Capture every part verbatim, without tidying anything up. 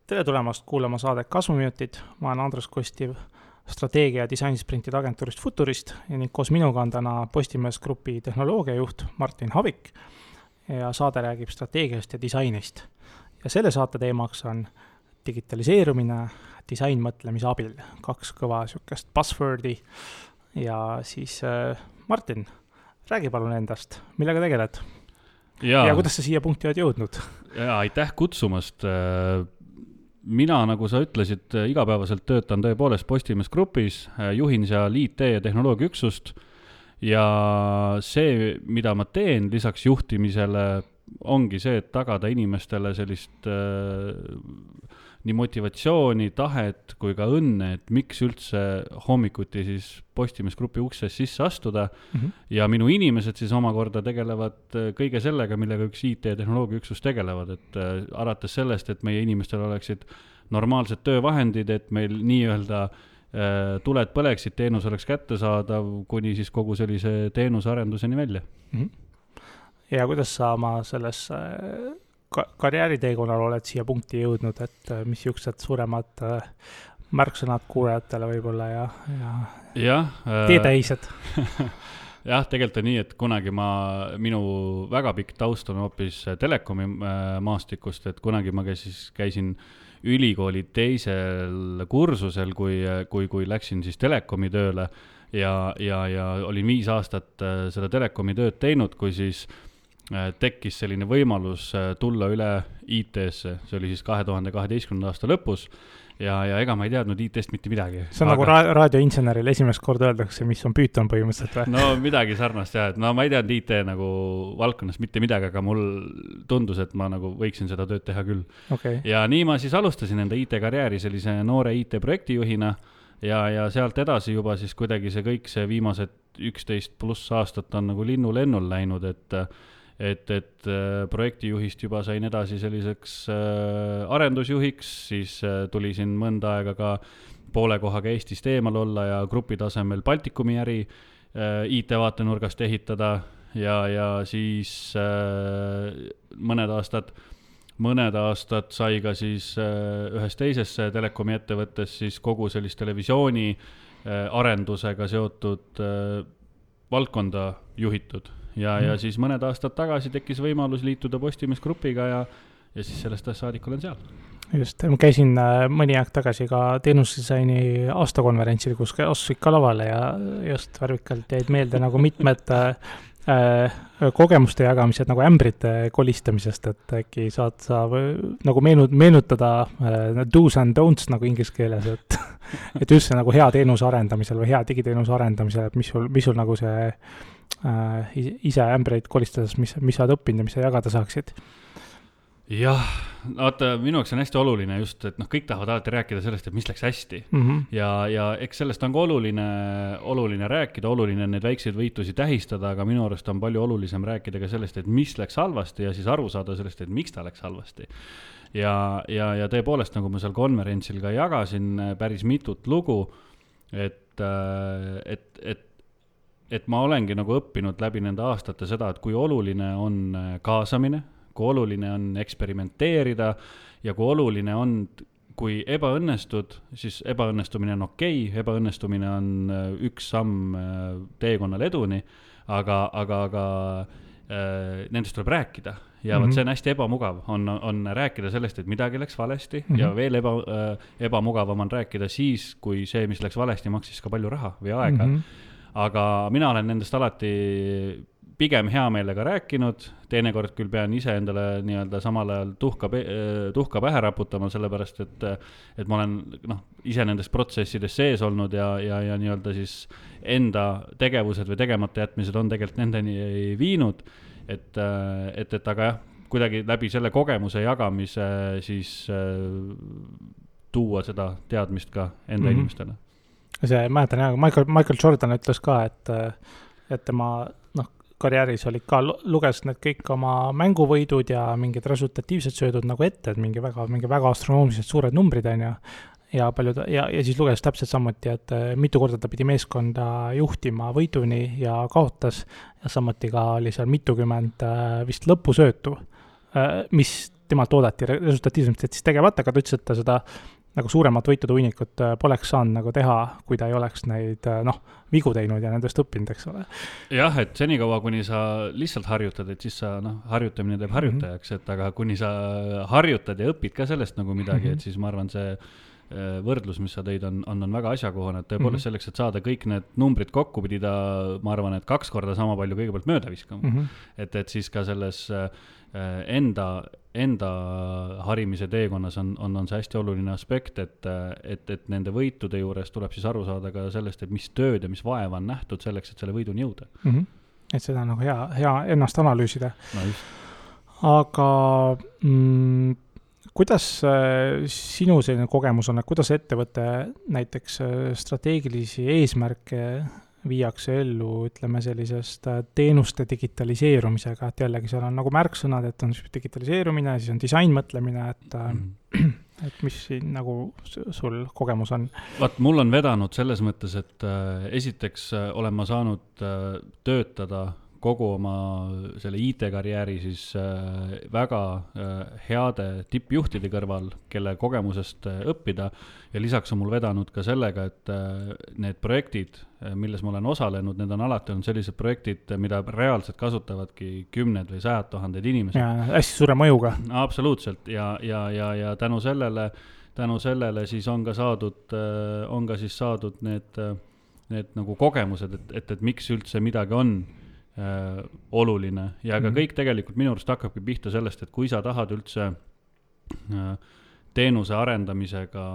Tere tulemast kuulama saadet Kasvuminutid. Ma olen Andres Kostiv, strateegia- ja disainsprintide agentuurist Futurist ning koos minuga on täna Postimees Grupi tehnoloogiajuht Martin Havik ja saade räägib strateegiast ja disainist. Ja selle saate teemaks on digitaliseerumine disainmõtlemise abil. Kaks kõva sükest buzzwordi ja siis äh, Martin, räägi palun endast, millega tegeled? Ja, ja kuidas sa siia punkti oled jõudnud? Ja, aitäh kutsumast. Mina, nagu sa ütlesid, igapäevaselt töötan tõepoolest Postimees Grupis, juhin seal I T ja tehnoloogiaüksust ja see, mida ma teen lisaks juhtimisele, ongi see, et tagada inimestele sellist äh, nii motivatsiooni, tahet kui ka õnne, et miks üldse hommikuti siis Postimees Grupi ukses sisse astuda mm-hmm. ja minu inimesed siis omakorda tegelevad kõige sellega, millega üks I T ja tehnoloogiaüksus tegelevad, et äh, alates sellest, et meie inimestel oleksid normaalsed töövahendid, et meil nii-öelda äh, tuled põleksid, teenus oleks kättesaadav, kuni siis kogu sellise teenusarenduseni välja. Mm-hmm. Ja kuidas sa oma selles äh, ka- karjääriteekonnal oled siia punkti jõudnud, et äh, mis juksed suuremad äh, märksõnad kuulajatele võib-olla ja, ja, ja äh, teetäised? jah, tegelikult on nii, et kunagi ma, minu väga pikk taust on hoopis telekomi äh, maastikust, et kunagi ma käisin, käisin ülikooli teisel kursusel, kui, kui, kui läksin siis telekomi tööle ja, ja, ja olin viis aastat äh, seda telekomi tööd teinud, kui siis äh, tekkis selline võimalus äh, tulla üle I T-sse, see oli siis kahe tuhande kaheteistkümnenda aasta lõpus ja, ja ega ma ei teadnud I T-st mitte midagi. See on aga... nagu ra- raadioinseneril esimest korda öeldakse, mis on Python põhimõtteliselt või? No midagi sarnast jah, et no ma ei teadnud I T nagu valdkonnas mitte midagi, aga mul tundus, et ma nagu võiksin seda tööd teha küll. Okay. Ja nii ma siis alustasin enda I T-karjääri sellise noore I T-projektijuhina ja, ja sealt edasi juba siis kuidagi see kõik see viimased üksteist pluss aastat on nagu linnu-lennul läinud, et et, et projektijuhist juba sain edasi selliseks äh, arendusjuhiks, siis äh, tuli siin mõnda aega ka poole kohaga Eestist eemal olla ja grupi tasemel Baltikumi äri äh, I T-vaatenurgast ehitada ja, ja siis äh, mõned aastad mõned aastad sai ka siis äh, ühes teises telekomi ettevõttes siis kogu sellist televisiooni äh, arendusega seotud äh, valdkonda juhitud. Ja, ja siis mõned aastad tagasi tekkis võimalus liituda Postimees Grupiga ja, ja siis sellest saadik olen seal. Just, ma käisin mõni aeg tagasi ka teenusdisaini aastakonverentsil, kus astusid ka lavale ja just värvikalt jäid meelde nagu mitmed äh, kogemuste jagamised nagu ämbrite kolistamisest, et äkki saad sa nagu meenu, meenutada äh, do's and don'ts nagu inglise keeles, et, et üldse nagu hea teenuse arendamisel või hea digiteenuse arendamisel, et mis sul, mis sul nagu see äh, ise ämbreid kolistades, mis, mis sa oled õppinud ja mis sa jagada saaksid? Jah, vaata, minu jaoks on hästi oluline just, et noh, kõik tahavad alati rääkida sellest, et mis läks hästi mm-hmm. ja, ja eks sellest on ka oluline, oluline rääkida, oluline neid väikseid võitusi tähistada, aga minu arust on palju olulisem rääkida ka sellest, et mis läks halvasti ja siis aru saada sellest, et miks ta läks halvasti. Ja, ja, ja tõepoolest, nagu ma seal konverentsil ka jagasin päris mitut lugu, et, et, et, et ma olengi nagu õppinud läbi nende aastate seda, et kui oluline on kaasamine, kui oluline on eksperimenteerida ja kui oluline on, kui ebaõnnestud, siis ebaõnnestumine on okei, ebaõnnestumine on üks samm teekonnal eduni, aga, aga, aga äh, nendest tuleb rääkida. Ja mm-hmm. see on hästi ebamugav, on, on rääkida sellest, et midagi läks valesti mm-hmm. ja veel eba, äh, ebamugavam on rääkida siis, kui see, mis läks valesti, maksis ka palju raha või aega. Mm-hmm. Aga mina olen nendest alati pigem hea meelega rääkinud, teinekord küll pean ise endale nii-öelda samal ajal tuhka, tuhka pähe raputama, sellepärast, et, et ma olen noh, ise nendest protsessides sees olnud ja, ja, ja nii-öelda siis enda tegevused või tegemata jätmised on tegelikult nendeni viinud, et, et, et aga jah, kuidagi läbi selle kogemuse jagamise siis tuua seda teadmist ka enda mm-hmm. inimestele. See, mäletan jah, Michael, Michael Jordan ütles ka, et, et tema noh, karjääris olid ka, luges need kõik oma mänguvõidud ja mingid resultatiivsed söödud nagu ette, et mingi väga, mingi väga astronoomiliselt suured numbrid on ja, ja, paljud, ja, ja siis luges täpselt samuti, et mitu korda ta pidi meeskonda juhtima võiduni ja kaotas ja samuti ka oli seal mitukümmend vist lõpusöötu, mis temalt oodati resultatiivselt, et siis tegevat, aga ta ütles, et ta seda nagu suuremat võitude hunnikut poleks saanud nagu teha, kui ta ei oleks neid, noh, vigu teinud ja nendest õppinud, eks ole. Jah, et senikaua, kuni sa lihtsalt harjutad, et siis sa, noh, harjutamine teeb harjutajaks, et aga kuni sa harjutad ja õpid ka sellest nagu midagi, et siis ma arvan, see võrdlus, mis sa tõid, on, on, on väga asjakohane, et tõepoolest selleks, et saada kõik need numbrid kokku, pidi ta, ma arvan, et kaks korda sama palju kõigepealt mööda viskama. Mm -hmm. et, et siis ka selles enda, enda harimise teekonnas on, on, on see hästi oluline aspekt, et, et, et nende võitude juures tuleb siis aru saada ka sellest, et mis tööd ja mis vaeva on nähtud selleks, et selle võiduni jõuda. Mm -hmm. Et seda on nagu hea, hea ennast analüüsida. No just. Aga mm, kuidas sinu selline kogemus on, et kuidas ettevõte näiteks strateegilisi eesmärke viiakse ellu, ütleme sellisest teenuste digitaliseerumisega, et jällegi seal on nagu märksõnad, et on digitaliseerumine, siis on disainmõtlemine, et, mm. et mis siin nagu sul kogemus on? Vaat, mul on vedanud selles mõttes, et äh, esiteks äh, olen ma saanud äh, töötada kogu oma selle I T-karjääri siis äh, väga äh, heade tippjuhtide kõrval, kelle kogemusest äh, õppida ja lisaks on mul vedanud ka sellega, et äh, need projektid, äh, milles ma olen osalenud, need on alati olnud sellised projektid, mida reaalselt kasutavadki kümned või sajad tuhanded inimesed. Ja hästi suure mõjuga. Absoluutselt ja, ja, ja, ja tänu sellele, tänu sellele siis on ka saadud, äh, on ka siis saadud need, need nagu kogemused, et, et, et miks üldse midagi on Äh, oluline ja ka mm-hmm. kõik tegelikult minu arust hakkabki pihta sellest, et kui sa tahad üldse äh, teenuse arendamisega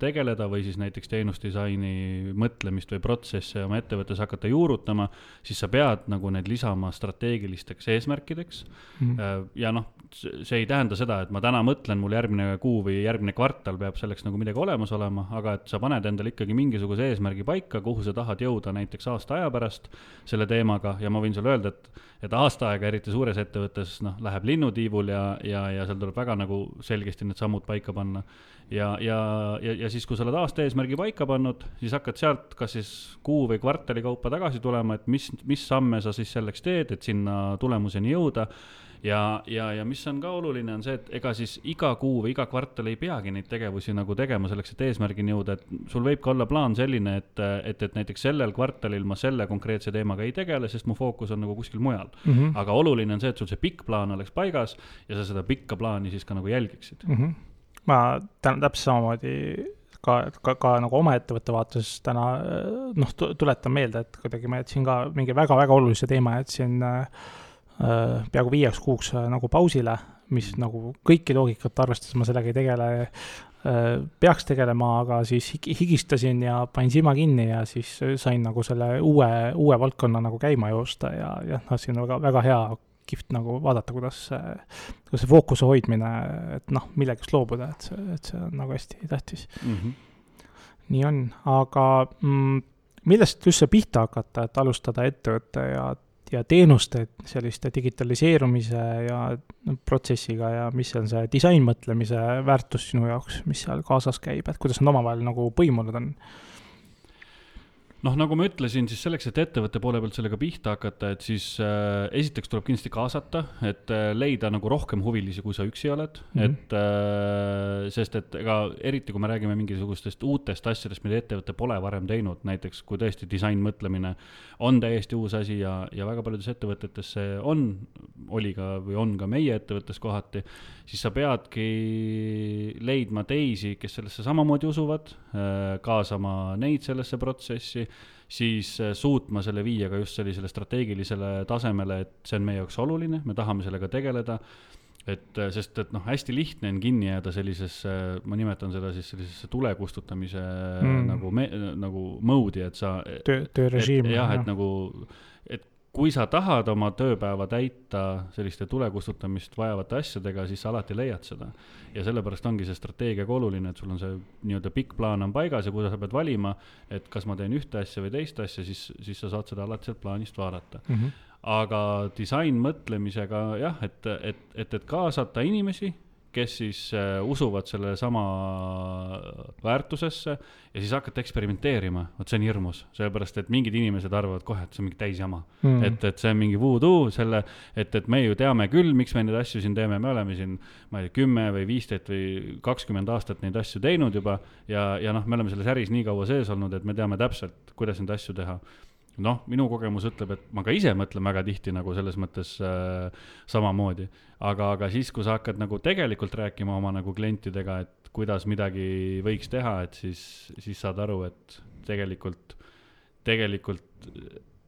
tegeleda või siis näiteks teenusdisaini mõtlemist või protsesse oma ettevõttes hakata juurutama, siis sa pead nagu need lisama strateegilisteks eesmärkideks mm-hmm. ja noh, see ei tähenda seda, et ma täna mõtlen, mul järgmine kuu või järgmine kvartal peab selleks nagu midagi olemas olema, aga et sa paned endale ikkagi mingisuguse eesmärgi paika, kuhu sa tahad jõuda näiteks aasta aja pärast selle teemaga ja ma võin sulle öelda, et, et aasta aega, eriti suures ettevõttes, noh, läheb linnutiivul ja, ja, ja seal tuleb väga nagu selgesti need sammud paika panna. Ja, ja, ja, ja siis, kui sa oled aasta eesmärgi paika pannud, siis hakkad sealt kas siis kuu või kvartali kaupa tagasi tulema, et mis, mis samme sa siis selleks teed, et sinna tulemuseni jõuda. Ja, ja, ja mis on ka oluline, on see, et ega siis iga kuu või iga kvartal ei peagi neid tegevusi nagu tegema selleks, et eesmärgini jõuda, et sul võib ka olla plaan selline, et, et, et näiteks sellel kvartalil ma selle konkreetse teemaga ei tegele, sest mu fookus on nagu kuskil mujal. Mm-hmm. Aga oluline on see, et sul see pikk plaan oleks paigas ja sa seda pikka plaani siis ka nagu jälgiksid. Mm-hmm. Ma täna täpselt samamoodi ka, ka, ka nagu oma ettevõtte vaates täna noh, tuletan meelde, et kuidagi ma jätsin ka mingi väga-väga olulise teema, jätsin äh, peaaegu viieks kuuks nagu pausile, mis nagu kõiki loogikat arvestades ma sellega ei tegele, peaks tegelema, aga siis higistasin ja panin silma kinni ja siis sain nagu selle uue, uue valdkonna nagu käima joosta ja, ja noh, siin on väga, väga hea kihvt nagu vaadata, kuidas, kuidas see fookuse hoidmine, et noh, millegast loobuda, et see, et see on nagu hästi tähtis. Mm-hmm. Nii on, aga mm, millest üldse pihta hakata, et alustada ettevõtte ja ja teenuste selliste digitaliseerumise ja protsessiga ja mis on see disainmõtlemise väärtus sinu jaoks, mis seal kaasas käib, et kuidas nad omavahel nagu põimunud on? Noh, nagu ma ütlesin, siis selleks, et ettevõtte poole pealt sellega pihta hakata, et siis äh, esiteks tuleb kindlasti kaasata, et äh, leida nagu rohkem huvilisi, kui sa üksi oled, mm-hmm. et äh, sest et ega eriti, kui me räägime mingisugustest uutest asjadest, mida ettevõtte pole varem teinud, näiteks kui tõesti disainmõtlemine on täiesti uus asi ja, ja väga paljudes ettevõtetes see on, oli ka või on ka meie ettevõttes kohati, siis sa peadki leidma teisi, kes sellesse samamoodi usuvad, äh, kaasama neid sellesse protsessi, siis suutma selle viia ka just sellisele strateegilisele tasemele, et see on meie jaoks oluline, me tahame sellega tegeleda, et sest, et noh, hästi lihtne on kinni jääda sellisesse, ma nimetan seda siis sellisesse tulekustutamise mm. nagu, me, nagu moodi, et sa töö, töörežiim. jah, et nagu, et kui sa tahad oma tööpäeva täita selliste tulekustutamist vajavate asjadega, siis sa alati leiad seda. Ja sellepärast ongi see strateegiaga oluline, et sul on see nii-öelda pikk plaan on paigas ja kui sa pead valima, et kas ma teen ühte asja või teist asja, siis, siis sa saad seda alati sealt plaanist vaadata. Mm-hmm. Aga disain mõtlemisega jah, et, et, et, et kaasata inimesi, kes siis äh, usuvad selle sama väärtusesse ja siis hakata eksperimenteerima, vot see on hirmus, sellepärast, et mingid inimesed arvavad kohe, et see on mingi täisjama mm., et, et see on mingi voodoo, selle, et, et me ju teame küll, miks me neid asju siin teeme, me oleme siin, ma ei tea, kümme või viisteist või kakskümmend aastat neid asju teinud juba ja, ja noh, me oleme selles äris nii kaua sees olnud, et me teame täpselt, kuidas neid asju teha. Noh, minu kogemus ütleb, et ma ka ise mõtlen väga tihti nagu selles mõttes äh, samamoodi, aga, aga siis, kui sa hakkad nagu tegelikult rääkima oma nagu klientidega, et kuidas midagi võiks teha, et siis, siis saad aru, et tegelikult, tegelikult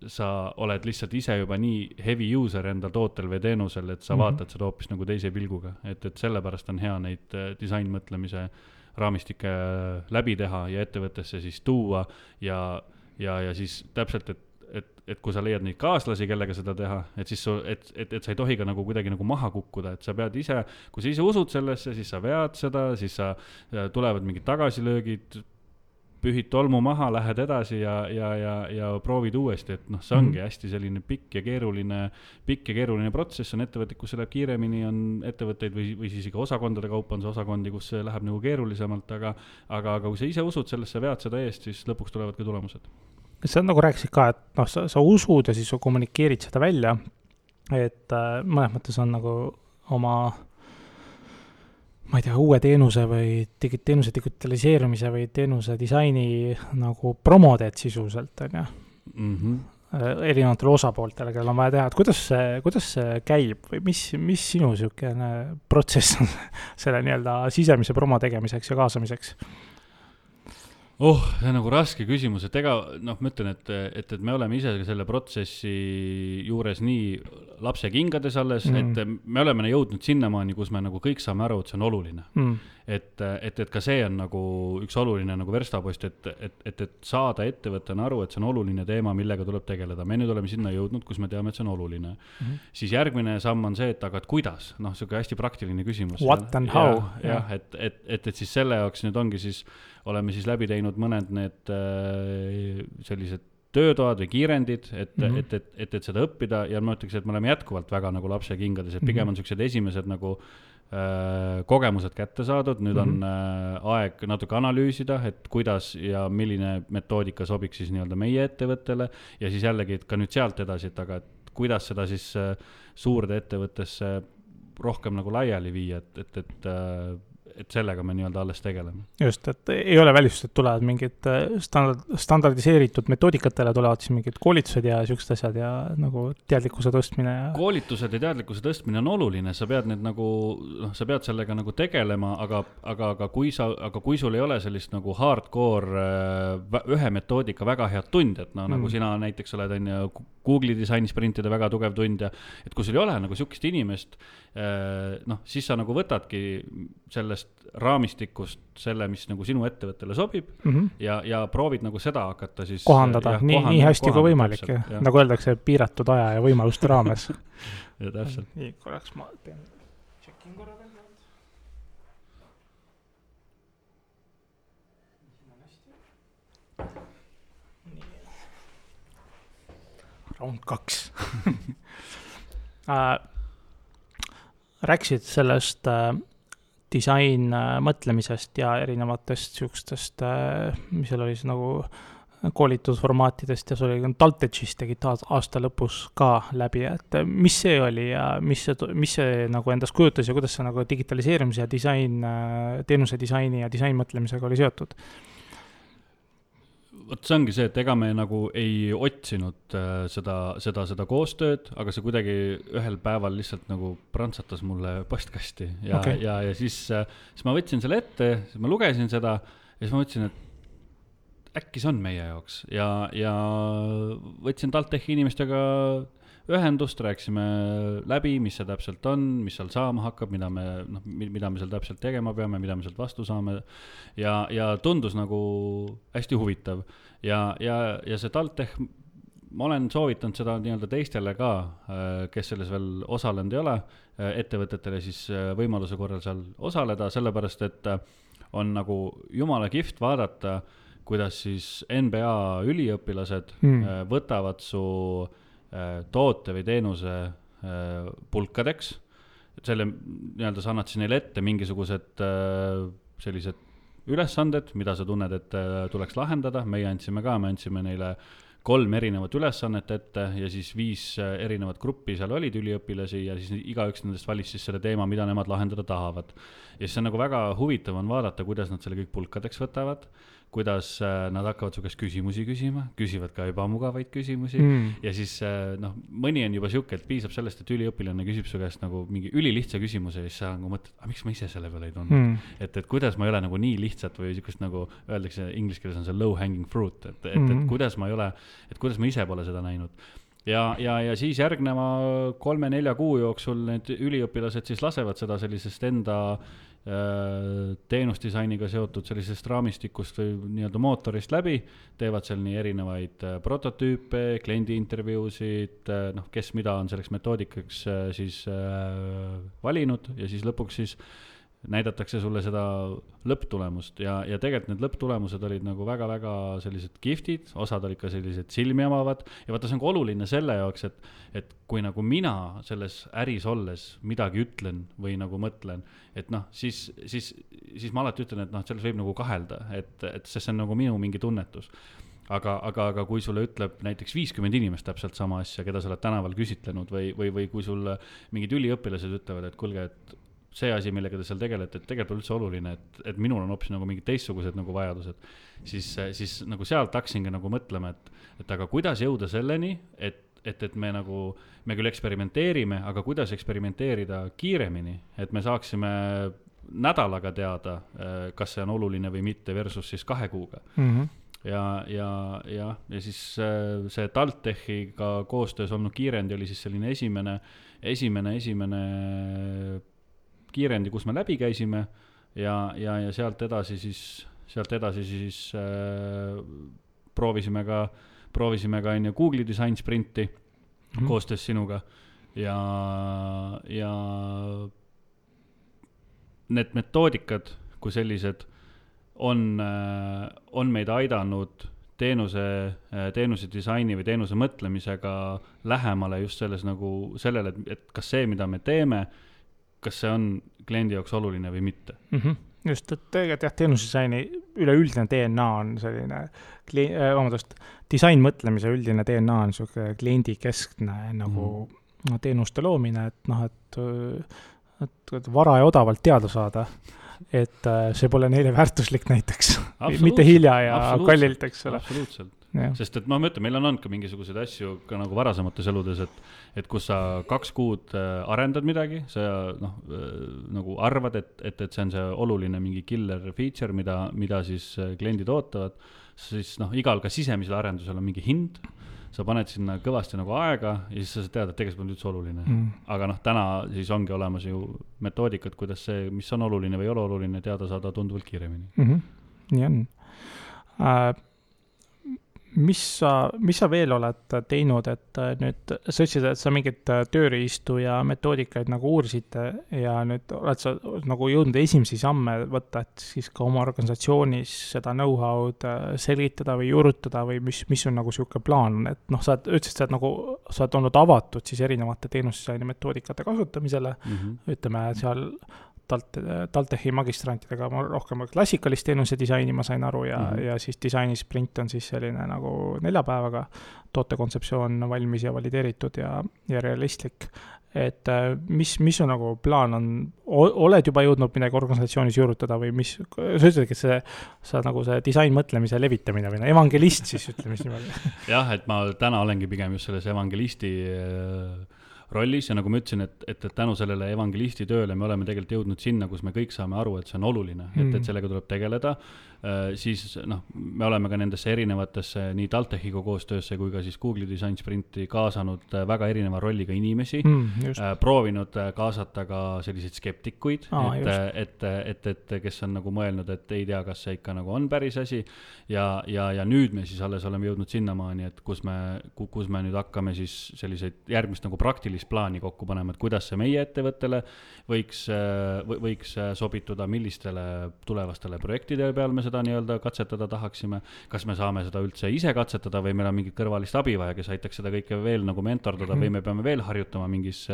sa oled lihtsalt ise juba nii heavy user enda tootel või teenusel, et sa mm-hmm. vaatad seda hoopis nagu teise pilguga, et, et sellepärast on hea neid disainmõtlemise raamistikke läbi teha ja ettevõttesse siis tuua ja ja, ja siis täpselt, et, et, et kui sa leiad neid kaaslasi, kellega seda teha, et siis su, et, et, et sa ei tohi ka nagu kuidagi nagu maha kukkuda, et sa pead ise, kui sa ise usud sellesse, siis sa vead seda, siis sa tulevad mingid tagasilöögid, pühid tolmu maha, lähed edasi ja, ja, ja, ja proovid uuesti, et noh, see ongi mm-hmm. hästi selline pikk ja keeruline, pikk ja keeruline protsess, on ettevõtted, kus see läheb kiiremini, on ettevõtteid või, või siis ikka osakondade kaupa on see osakondi, kus see läheb nagu keerulisemalt, aga, aga, aga kui sa ise usud sellesse, vead seda eest, siis lõpuks tulevad ka tulemused. Sa nagu rääkisid ka, et noh, sa, sa usud ja siis sa kommunikeerid seda välja, et äh, mõnes mõttes on nagu oma ma ei tea, uue teenuse või digi- teenuse digitaliseerumise või teenuse disaini nagu promodeed sisuliselt, on ju. Mm-hmm. Erinevatele osapooltele, kellel on vaja teha, et kuidas see, kuidas see käib või mis, mis sinu sihukene protsess on selle nii-öelda sisemise promo tegemiseks ja kaasamiseks? Oh, see on nagu raske küsimus, et ega, noh, ma ütlen, et, et, et me oleme ise selle protsessi juures nii lapse kingades alles, mm. et me oleme jõudnud sinnamaani, kus me nagu kõik saame aru, et see on oluline. Mm. Et, et, et ka see on nagu üks oluline nagu verstapost, et, et, et, et saada ettevõttena aru, et see on oluline teema, millega tuleb tegeleda. Me nüüd oleme sinna jõudnud, kus me teame, et see on oluline. Mm. Siis järgmine samm on see, et aga et kuidas? Noh, see on hästi praktiline küsimus. What and how? Ja, ja, et, et, et, et siis selle jaoks nüüd ongi siis oleme siis läbi teinud mõned need äh, sellised töötoad või kiirendid, et, mm-hmm. et, et, et, et seda õppida ja ma ütleks, et me oleme jätkuvalt väga nagu lapse kingades, et pigem on sellised esimesed nagu äh, kogemused kätte saadud, nüüd mm-hmm. on äh, aeg natuke analüüsida, et kuidas ja milline metoodika sobiks siis nii-öelda meie ettevõttele ja siis jällegi, et ka nüüd sealt edasi, et aga et kuidas seda siis äh, suurde ettevõttesse rohkem nagu laiali viia, et, et, et äh, et sellega me nii-öelda alles tegeleme. Just, et ei ole välist, et tulevad mingid standard, standardiseeritud metoodikatele, tulevad siis mingid koolitused ja siuksed asjad ja nagu teadlikkuse tõstmine. Ja... koolitused ja teadlikkuse tõstmine on oluline, sa pead need nagu, noh, sa pead sellega nagu tegelema, aga, aga, aga, kui sa, aga kui sul ei ole sellist nagu hardcore ühe metoodika väga head tund, et no mm. nagu sina näiteks oled on ju Google'i disainisprintide väga tugev tund ja et kui sul ei ole nagu siukest inimest, noh, siis sa nagu võtadki sellest raamistikust selle, mis nagu sinu ettevõttele sobib mm-hmm. ja, ja proovid nagu seda hakata siis kohandada, jah, nii, nii hästi kui võimalik, täpselt, ja. Nagu öeldakse, piiratud aja ja võimaluste raames. Ja täpselt. Nii, korraks ma pean checkin korra veel. Round kaks. äh, rääkisid sellest äh, disain äh, mõtlemisest ja erinevatest siukestest, äh, mis seal oli siis nagu koolitusformaatidest ja see oli Taltechis tegid aasta lõpus ka läbi, et mis see oli ja mis see, mis see nagu endast kujutas ja kuidas see nagu digitaliseerimise ja disain, äh, teenuse disaini ja disainmõtlemisega oli seotud? Vot see ongi see, et ega me nagu ei otsinud äh, seda, seda, seda koostööd, aga see kuidagi ühel päeval lihtsalt nagu prantsatas mulle postkasti ja, okay. ja, ja siis, äh, siis ma võtsin selle ette, siis ma lugesin seda ja siis ma mõtlesin, et äkki see on meie jaoks ja, ja võtsin Taltechi inimestega ühendust, rääksime läbi, mis see täpselt on, mis seal saama hakkab, mida me, noh, mida me seal täpselt tegema peame, mida me sealt vastu saame ja, ja tundus nagu hästi huvitav ja, ja, ja see Taltech, ma olen soovitanud seda nii-öelda teistele ka, kes selles veel osalenud ei ole, ettevõtetele siis võimaluse korral seal osaleda, sellepärast et on nagu jumala kihvt vaadata, kuidas siis N B A üliõpilased mm. võtavad su toote või teenuse pulkadeks selle nii-öelda sa annad siis neile ette mingisugused sellised ülesanded, mida sa tunned, et tuleks lahendada, meie andsime ka, me andsime neile kolm erinevat ülesannet ette ja siis viis erinevat gruppi seal olid üliõpilasi ja siis igaüks nendest valis siis selle teema, mida nemad lahendada tahavad. Ja siis on nagu väga huvitav on vaadata, kuidas nad selle kõik pulkadeks võtavad, kuidas nad hakkavad su käest küsimusi küsima, küsivad ka ebamugavaid küsimusi mm. ja siis noh, mõni on juba siuke, et piisab sellest, et üliõpilane küsib su käest nagu mingi ülilihtsa küsimuse ja siis sa nagu mõtled, aga miks ma ise selle peale ei tundnud mm. et, et kuidas ma ei ole nagu nii lihtsalt või siukest nagu öeldakse inglise keeles on see low hanging fruit, et, et, mm. et kuidas ma ei ole, et kuidas ma ise pole seda näinud ja, ja, ja siis järgneva kolme-nelja kuu jooksul need üliõpilased siis lasevad seda sellisest enda teenusdisainiga seotud sellisest raamistikust või nii-öelda mootorist läbi, teevad seal nii erinevaid prototüüpe, kliendi intervjuusid, noh, kes mida on selleks metoodikaks siis valinud ja siis lõpuks siis näidatakse sulle seda lõpptulemust ja, ja tegelikult need lõpptulemused olid nagu väga-väga sellised giftid, osad olid ka sellised silmi omavad ja vaata, see on ka oluline selle jaoks, et, et kui nagu mina selles äris olles midagi ütlen või nagu mõtlen, et noh, siis, siis, siis ma alati ütlen, et noh, selles võib nagu kahelda, et, et see on nagu minu mingi tunnetus. Aga, aga, aga kui sulle ütleb näiteks viiskümmend inimest täpselt sama asja, keda sa oled tänaval küsitlenud või, või, või kui sul mingid üliõpilased ütlevad, et kuulge, et see asi, millega te seal tegelete, et tegelikult on üldse oluline, et, et minul on hoopis nagu mingid teistsugused nagu vajadused, siis, siis nagu sealt hakkasingi nagu mõtlema, et, et aga kuidas jõuda selleni, et, et, et me nagu, me küll eksperimenteerime, aga kuidas eksperimenteerida kiiremini, et me saaksime nädalaga teada, kas see on oluline või mitte versus siis kahe kuuga. Mm-hmm. Ja, ja, ja, ja siis see TalTechiga koostöös olnud kiirendi oli siis selline esimene, esimene, esimene kiirendi, kus me läbi käisime ja, ja, ja sealt edasi siis, sealt edasi siis äh, proovisime ka, proovisime ka enne Google'i design sprinti mm-hmm. koostöös sinuga ja, ja need metoodikad kui sellised on, äh, on meid aidanud teenuse, teenuse disaini või teenuse mõtlemisega lähemale just selles nagu sellele, et, et kas see, mida me teeme, kas see on kliendi jaoks oluline või mitte. Mm-hmm. Just, et tegelikult jah, teenusdisaini üleüldine D N A on selline, kli- äh, vabandust, disain mõtlemise üldine D N A on selline kliendi keskne nagu mm. teenuste loomine, et noh, et, et, et vara ja odavalt teada saada, et see pole neile väärtuslik näiteks, mitte hilja ja kallilt, eks ole. Absoluutselt. Ja. Sest et ma mõtlen, meil on olnud ka mingisuguseid asju ka nagu varasemates eludes, et, et kus sa kaks kuud arendad midagi, sa noh, nagu arvad, et, et, et see on see oluline mingi killer feature, mida, mida siis kliendid ootavad, siis noh, igal ka sisemisel arendusel on mingi hind, sa paned sinna kõvasti nagu aega ja siis sa tead, et tegelikult on üldse oluline. Mm. Aga noh, täna siis ongi olemas ju metoodikad, kuidas see, mis on oluline või ei ole oluline, teada saada tunduvalt kiiremini. Mm-hmm. Nii on. Äh, mis sa, mis sa veel oled teinud, et nüüd sa ütlesid, et sa mingit tööriistu ja metoodikaid nagu uurisid ja nüüd oled sa nagu jõudnud esimesi samme võtta, et siis ka oma organisatsioonis seda know-how'd selgitada või juurutada või mis, mis on nagu siuke plaan, et noh, sa ütlesid, sa oled nagu, sa oled olnud avatud siis erinevate teenusdisaini metoodikate kasutamisele, mm-hmm. ütleme seal Talt, TalTechi magistrantidega ma rohkem klassikalist teenuse disaini ma sain aru ja, mm-hmm. ja siis disaini sprint on siis selline nagu nelja päevaga tootekontseptsioon valmis ja valideeritud ja, ja realistlik. Et mis, mis on nagu plaan on, oled juba jõudnud midagi organisatsioonis juurutada või mis, sa ütledki, et see, sa nagu see disain mõtlemise levitamine või evangelist siis ütleme siis niimoodi. Jah, et ma täna olengi pigem just selles evangelisti rollis ja nagu ma ütlesin, et, et, et tänu sellele evangelisti tööle me oleme tegelikult jõudnud sinna, kus me kõik saame aru, et see on oluline, mm. et, et sellega tuleb tegeleda. Äh, siis noh, me oleme ka nendesse erinevatesse nii TalTechiga koostöösse kui ka siis Google'i design sprinti kaasanud väga erineva rolliga inimesi, mm, äh, proovinud kaasata ka selliseid skeptikuid, ah, et, et, et, et, et kes on nagu mõelnud, et ei tea, kas see ikka nagu on päris asi ja, ja, ja nüüd me siis alles oleme jõudnud sinnamaani, et kus me, kus me nüüd hakkame siis selliseid järgmist nagu praktilist plaani kokku panema, et kuidas see meie ettevõttele võiks, võiks sobituda, millistele tulevastele projektidele peal me seda nii-öelda katsetada tahaksime, kas me saame seda üldse ise katsetada või meil on mingit kõrvalist abi vaja, kes aitaks seda kõike veel nagu mentordada mm-hmm. või me peame veel harjutama mingis,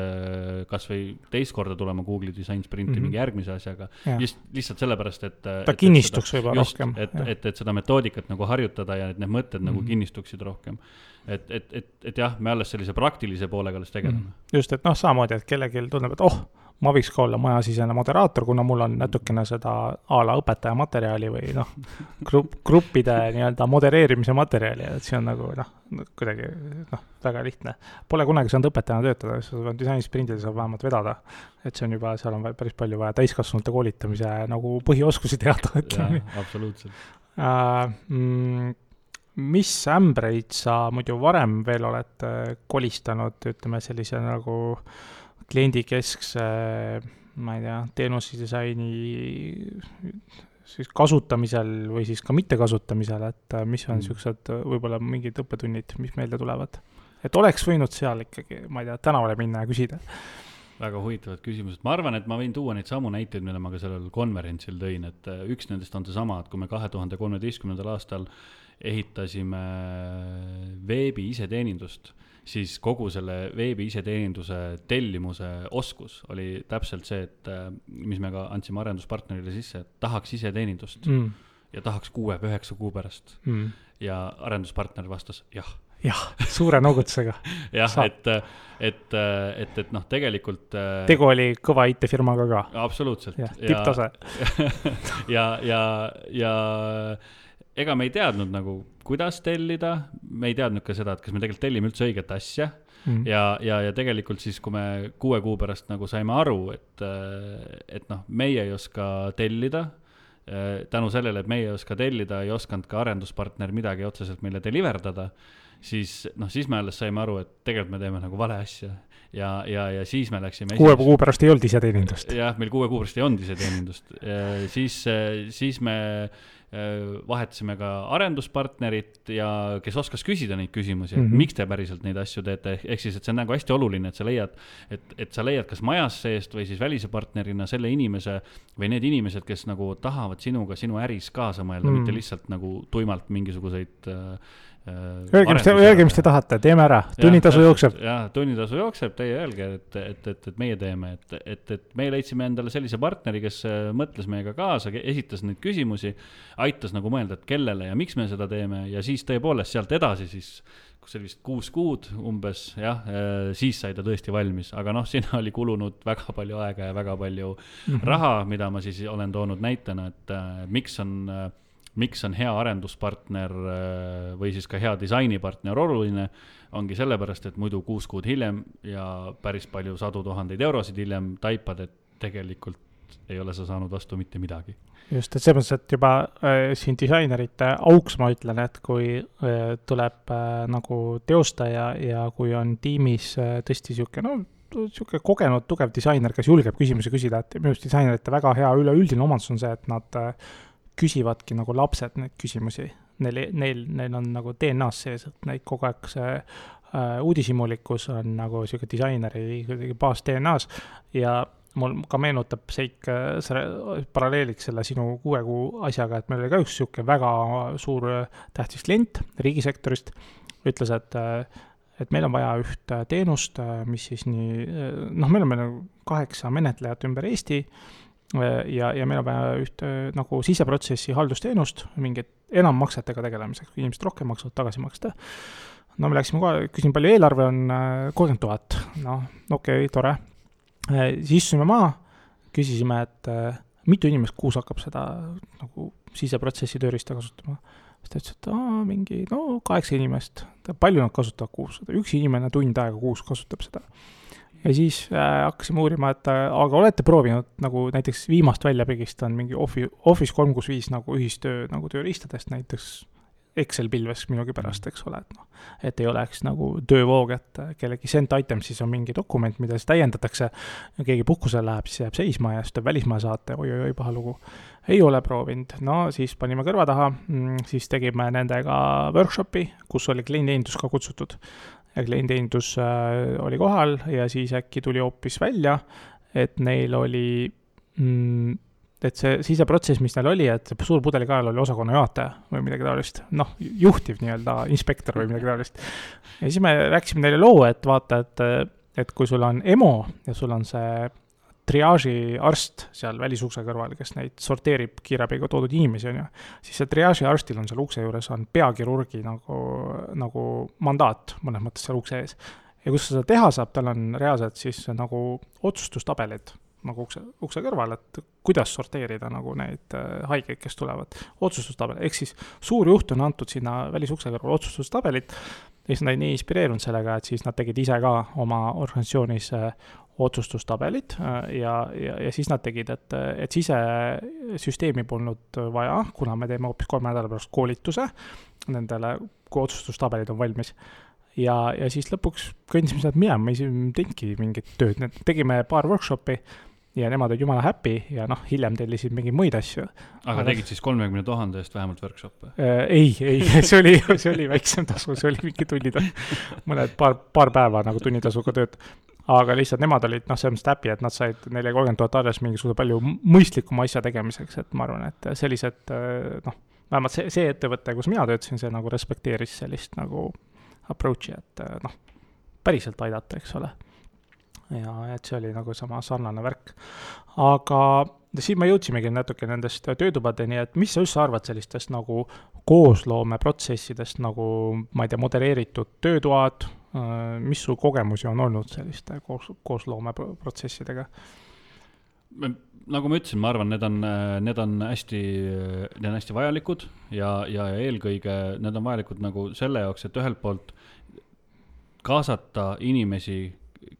kas või teist korda tulema Google Design Sprinti mm-hmm. mingi järgmise asjaga. Just, lihtsalt sellepärast, et ta et, kinnistuks et seda, just, rohkem. Et, et, et seda metoodikat nagu harjutada ja et need mõtted mm-hmm. nagu kinnistuksid rohkem. Et, et, et, et jah, me alles sellise praktilise poolega alles tegeleme. Mm-hmm. Just, et noh, samamoodi, et kellelgi tunneb, et oh, ma võiks ka olla majasisene moderaator, kuna mul on natukene seda a la õpetaja materjali või noh, grupp, gruppide nii-öelda modereerimise materjali, et see on nagu noh, kuidagi noh, väga lihtne. Pole kunagi saanud õpetajana töötada, siis disainisprindil saab vähemalt vedada, et see on juba, seal on päris palju vaja täiskasvanute koolitamise nagu põhioskusi teada. Jaa, absoluutselt. Uh, mm, mis ämbreid sa muidu varem veel oled kolistanud, ütleme sellise nagu kliendikeskse, ma ei tea, teenusedisaini siis kasutamisel või siis ka mitte kasutamisel, et mis on mm. siuksed võib-olla mingid õppetunnid, mis meelde tulevad. Et oleks võinud seal ikkagi, ma ei tea, tänavale minna ja küsida. Väga huvitavad küsimused. Ma arvan, et ma võin tuua neid samu näiteid, mille ma ka sellel konverentsil tõin, et üks nendest on see sama, et kui me kahe tuhande kolmeteistkümnendal aastal ehitasime veebi iseteenindust, siis kogu selle veebi iseteeninduse tellimuse oskus oli täpselt see, et mis me ka andsime arenduspartnerile sisse, et tahaks iseteenindust mm. ja tahaks kuue või üheksa kuu pärast. Mm. Ja arenduspartner vastas jah. Jah, suure noogutusega. jah, et, et, et, et noh, tegelikult... Tegu oli kõva I T-firmaga ka. Absoluutselt. Ja, tipptase. ja, ja, ja ega me ei teadnud nagu, kuidas tellida, me ei teadnud ka seda, et kas me tegelikult tellime üldse õiget asja mm. ja, ja, ja tegelikult siis, kui me kuue kuu pärast nagu saime aru, et, et noh, meie ei oska tellida, tänu sellele, et meie ei oska tellida, ei oskanud ka arenduspartner midagi otseselt meile deliverdada, siis, noh, siis me alles saime aru, et tegelikult me teeme nagu vale asja ja, ja, ja siis me läksime kuue kuu pärast ei olnud iseteenindust. Jah, meil kuue kuu pärast ei olnud iseteenindust. siis, siis me vahetasime ka arenduspartnerit ja kes oskas küsida neid küsimusi, et mm-hmm. miks te päriselt neid asju teete, ehk siis, et see on nagu hästi oluline, et sa leiad, et, et sa leiad kas majas seest või siis välise partnerina selle inimese või need inimesed, kes nagu tahavad sinuga sinu äris kaasa mõelda, mm. mitte lihtsalt nagu tuimalt mingisuguseid Öelge, mis te, öelge, mis te tahate, teeme ära, tunnitasu jookseb. Jah, tunnitasu jookseb, teie öelge, et, et, et, et meie teeme, et, et, et me leidsime endale sellise partneri, kes mõtles meiega kaasa, esitas neid küsimusi, aitas nagu mõelda, et kellele ja miks me seda teeme ja siis tõepoolest sealt edasi siis, kus oli vist kuus kuud umbes, jah, siis sai ta tõesti valmis, aga noh, siin oli kulunud väga palju aega ja väga palju mm-hmm. raha, mida ma siis olen toonud näitena, et äh, miks on äh, miks on hea arenduspartner või siis ka hea disainipartner oluline, ongi sellepärast, et muidu kuus kuud hiljem ja päris palju sadu tuhandeid eurosid hiljem taipad, et tegelikult ei ole sa saanud vastu mitte midagi. Just, et selles, et juba äh, siin disainerite auks ma ütlen, et kui äh, tuleb äh, nagu teostaja ja kui on tiimis äh, tõesti siuke, no siuke kogenud, tugev disainer, kes julgeb küsimusi küsida, et minu arust disainerite väga hea üleüldine omandus on see, et nad äh, küsivadki nagu lapsed neid küsimusi. Neil, neil, neil on nagu D N A-s sees, et neid kogu aeg see äh, uudishimulikkus on nagu siuke disaineri baas D N A-s ja mul ka meenutab seik äh, paralleeliks selle sinu kuue kuu asjaga, et meil oli ka üks siuke väga suur tähtis klient riigisektorist, ütles, et äh, et meil on vaja üht teenust, mis siis nii, noh, meil on meil kaheksa menetlejat ümber Eesti ja, ja meil on vaja üht nagu siseprotsessi haldusteenust, mingit enam maksetega tegelemiseks, kui inimesed rohkem maksavad tagasi maksta. No me läksime kohe, küsin, palju eelarve on kolmkümmend tuhat, noh, okei, okay, tore. Siis istusime maa, küsisime, et mitu inimest kuus hakkab seda nagu siseprotsessi tööriista kasutama. Siis ta ütles, et aa, mingi, no kaheksa inimest, palju nad kasutavad kuus, üks inimene tund aega kuus kasutab seda. Ja siis äh, hakkasime uurima, et äh, aga olete proovinud nagu näiteks viimast väljapigist on mingi Office kolm kuuskümmend viis nagu ühistöö nagu tööriistadest, näiteks Excel-pilves minugi pärast, eks ole, et, no, et ei oleks nagu töövoog, et kellegi sent item siis on mingi dokument, mida siis täiendatakse ja keegi puhkusele läheb, siis jääb seisma ja siis tuleb välismaa saate, oi, oi, oi, paha lugu. Ei ole proovinud. No siis panime kõrva taha, siis tegime nendega workshopi, kus oli klienditeenindus ka kutsutud. Ja klienditeenindus äh, oli kohal ja siis äkki tuli hoopis välja, et neil oli mm, et see siseprotsess, mis neil oli, et suur pudelikael oli osakonna juhataja või midagi taolist, noh, juhtiv nii-öelda inspektor või midagi taolist. Ja siis me rääkisime neile loo, et vaata, et, et kui sul on EMO ja sul on see triaaži arst seal välisukse kõrval, kes neid sorteerib kiirabiga toodud inimesi, on ju, siis see triaaži arstil on seal ukse juures on peakirurgi nagu, nagu mandaat mõnes mõttes seal ukse ees. Ja kus seda teha saab, tal on reaalselt siis nagu otsustustabelid nagu ukse, ukse kõrval, et kuidas sorteerida nagu neid haigeid, kes tulevad. Otsustustabel, ehk siis suur juht on antud sinna välisukse kõrval otsustustabelit ja siis nad nii inspireerunud sellega, et siis nad tegid ise ka oma organisatsioonis otsustustabelid ja, ja, ja siis nad tegid, et, et sisesüsteemi polnud vaja, kuna me teeme hoopis kolme nädala pärast koolituse nendele, kui otsustustabelid on valmis. Ja, ja siis lõpuks kõndisime sealt minema, me ei teinudki mingit tööd, tegime paar workshopi ja nemad olid jumala happy ja noh, hiljem tellisid mingeid muid asju. Aga, aga tegid siis kolmekümne tuhande eest vähemalt workshop'e? Äh, ei, ei, see oli, see oli väiksem tasu, see oli mingi tunnid, mõned paar, paar päeva nagu tunnitasuga tööd. Aga lihtsalt nemad olid, noh, selles mõttes happy, et nad said neile kolmkümmend tuhat arves mingisuguse palju mõistlikuma asja tegemiseks, et ma arvan, et sellised, noh, vähemalt see, see ettevõte, kus mina töötasin, see nagu respekteeris sellist nagu approach'i, et noh, päriselt aidata, eks ole. Ja et see oli nagu sama sarnane värk. Aga siin me jõudsimegi natuke nendest töötubadeni, et mis sa üldse arvad sellistest nagu koosloome protsessidest, nagu ma ei tea, modereeritud töötoad, mis su kogemusi on olnud selliste koos, koosloome protsessidega? Nagu ma ütlesin, ma arvan, need on, need on hästi, need on hästi vajalikud ja, ja eelkõige need on vajalikud nagu selle jaoks, et ühelt poolt kaasata inimesi,